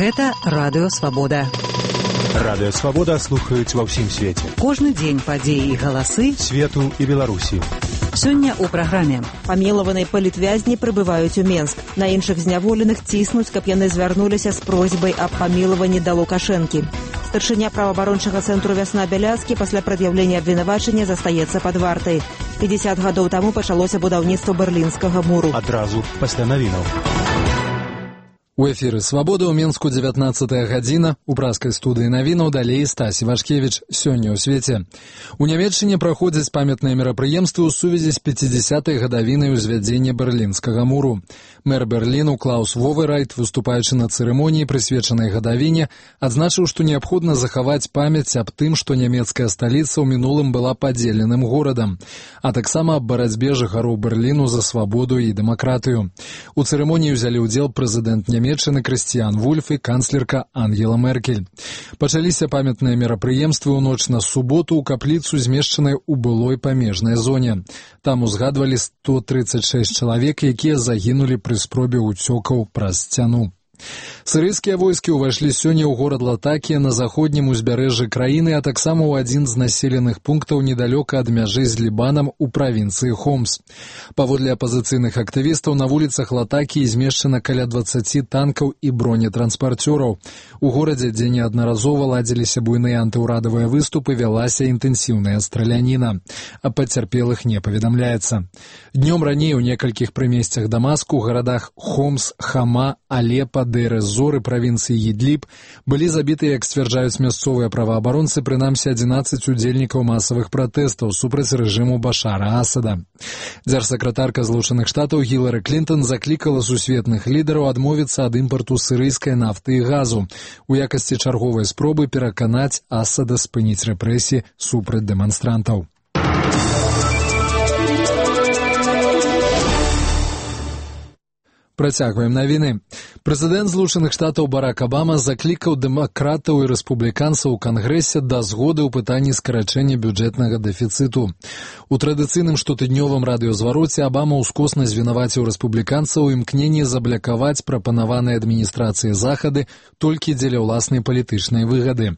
Гэта Радыё Свабода. Радыё Свабода слухаюць ва ўсім свеце. Кожны дзень падзеі і галасы свету і Беларусі. Сёння ў праграме. Памілаваныя палітвязні прыбываюць у Менск. На іншых зняволеных ціснуць, каб яны звярнуліся з просьбай аб памілаванні да Лукашэнкі. Старшыня праваабарончага цэнтру «Вясна» Бяляцкі пасля прад'яўлення абвінавачання застаецца пад вартай. 50 гадоў таму пачалося будаўніцтва Берлінскага муру. Адразу пасля навінаў. У эфіры «Свабода» ў Менску 19 гадзіна. У праскай студыі навінаў далей Стась Івашкевіч. Сёння ў свеце. У Нямецчыне праходзяць памятныя мерапрыемствы ў сувязі з 50-й гадавінай узвядзення Берлінскага муру. Мэр Берліну Клаус Воверайт, выступаючы на цырымоніі, прысвечанай гадавіне, адзначыў, што неабходна захаваць памяць аб тым, што нямецкая сталіца ў мінулым была падзеленым горадам, а таксама аб барацьбе жыхароў Берліну за свабоду і дэмакратыю. У цырымоніі ўзялі ўдзел прэзідэнт Нямецчыны Крыстиан Вульф і канцлерка Ангела Меркель. Пачаліся памятныя мерапрыемствы ў ноч на суботу ў капліцу, змешчанай у былой памежнай зоне. Там узгадвалі 136 чалавек, якія загінулі пры спробе ўцёкаў праз сцяну. Сірыйскія войскі ўвайшлі сёння ў горад Латакія на заходнім узбярэжжы краіны, а таксама ў адзін з населеных пунктаў недалёка ад мяжы з Лібанам у правінцыі Хомс. Паводле апазіцыйных актывістаў, на вуліцах Латакіі змешчана каля 20 танкаў і бронетранспарцёраў. У горадзе, дзе неаднаразова ладзіліся буйныя антыўрадавыя выступы, вялася інтэнсіўная страляніна. Аб пацярпелых не паведамляецца. Днём раней у некалькіх прымесцях Дамаску, у гарадах Хомс, Хама, Алепа, Дейр-эз-Зор і правінцыі Ідліб былі забіты, як сцвярджаюць мясцовыя праваабаронцы, прынамсі 11 удзельнікаў масавых пратэстаў супраць рэжыму Башара Асада. Дзяржсакратарка Злучаных Штатаў Гілары Клінтон заклікала сусветных лідараў адмовіцца ад імпарту сірыйскай нафты і газу у якасці чарговай спробы пераканаць Асада спыніць рэпрэсіі супраць дэманстрантаў. Працягваем навіны. Прэзідэнт Злучаных Штатаў Барак Абама заклікаў дэмакратаў і рэспубліканцаў у Кангрэсе да згоды ў пытанні скарачэння бюджэтнага дэфіцыту. У традыцыйным штотыднёвым радыёзвароце Абама ўскосна звінаваціў рэспубліканцаў у імкненні заблякаваць прапанаваныя адміністрацыяй захады толькі дзеля ўласнай палітычнай выгады.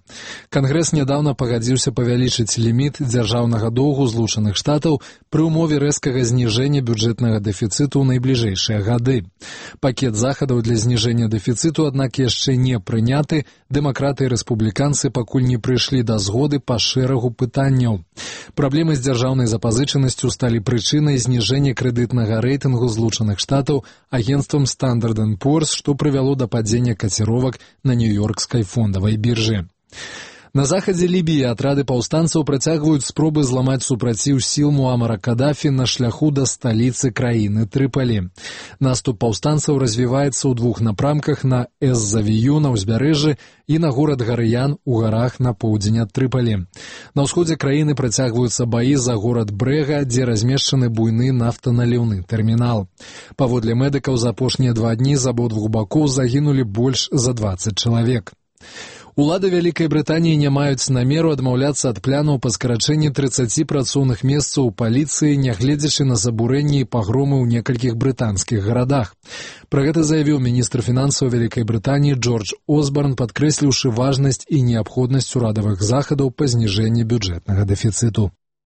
Кангрэс нядаўна пагадзіўся павялічыць ліміт дзяржаўнага доўгу Злучаных Штатаў пры ўмове рэзкага зніжэння бюджэтнага дэфіцыту ў найбліжэйшыя гады. Пакет захадаў для зніжэння дэфіцыту, аднак, яшчэ не прыняты. Дэмакраты і рэспубліканцы пакуль не прыйшлі да згоды па шэрагу пытанняў. Праблемы з дзяржаўнай запазычанасцю сталі прычынай зніжэння крэдытнага рэйтынгу Злучаных Штатаў агенцтвам Standard & Poor's, што прывяло да падзення каціровак на нью-ёркскай фондавай біржы. На захадзе Лібіі атрады паўстанцаў працягваюць спробы зламаць супраціў сіл Муамара Кадафі на шляху да сталіцы краіны Трыпалі. Наступ паўстанцаў развіваецца ў двух напрамках: на Эз-Завію на ўзбярэжжы і на горад Гарыян у гарах на поўдзень ад Трыпалі. На ўсходзе краіны працягваюцца баі за горад Брэга, дзе размешчаны буйны нафтаналіўны тэрмінал. Паводле медыкаў, за апошнія 2 дні з абодвух бакоў загінулі больш за 20 чалавек. Улады Вялікай Брытаніі не маюць намеру адмаўляцца ад планаў па скарачэнні 30 працоўных месцаў у паліцыі, нягледзячы на забурэнні і пагромы ў некалькіх брытанскіх гарадах. Пра гэта заявіў міністр фінансаў Вялікай Брытаніі Джордж Осборн, падкрэсліўшы важнасць і неабходнасць урадавых захадаў па зніжэнні бюджэтнага дэфіцыту.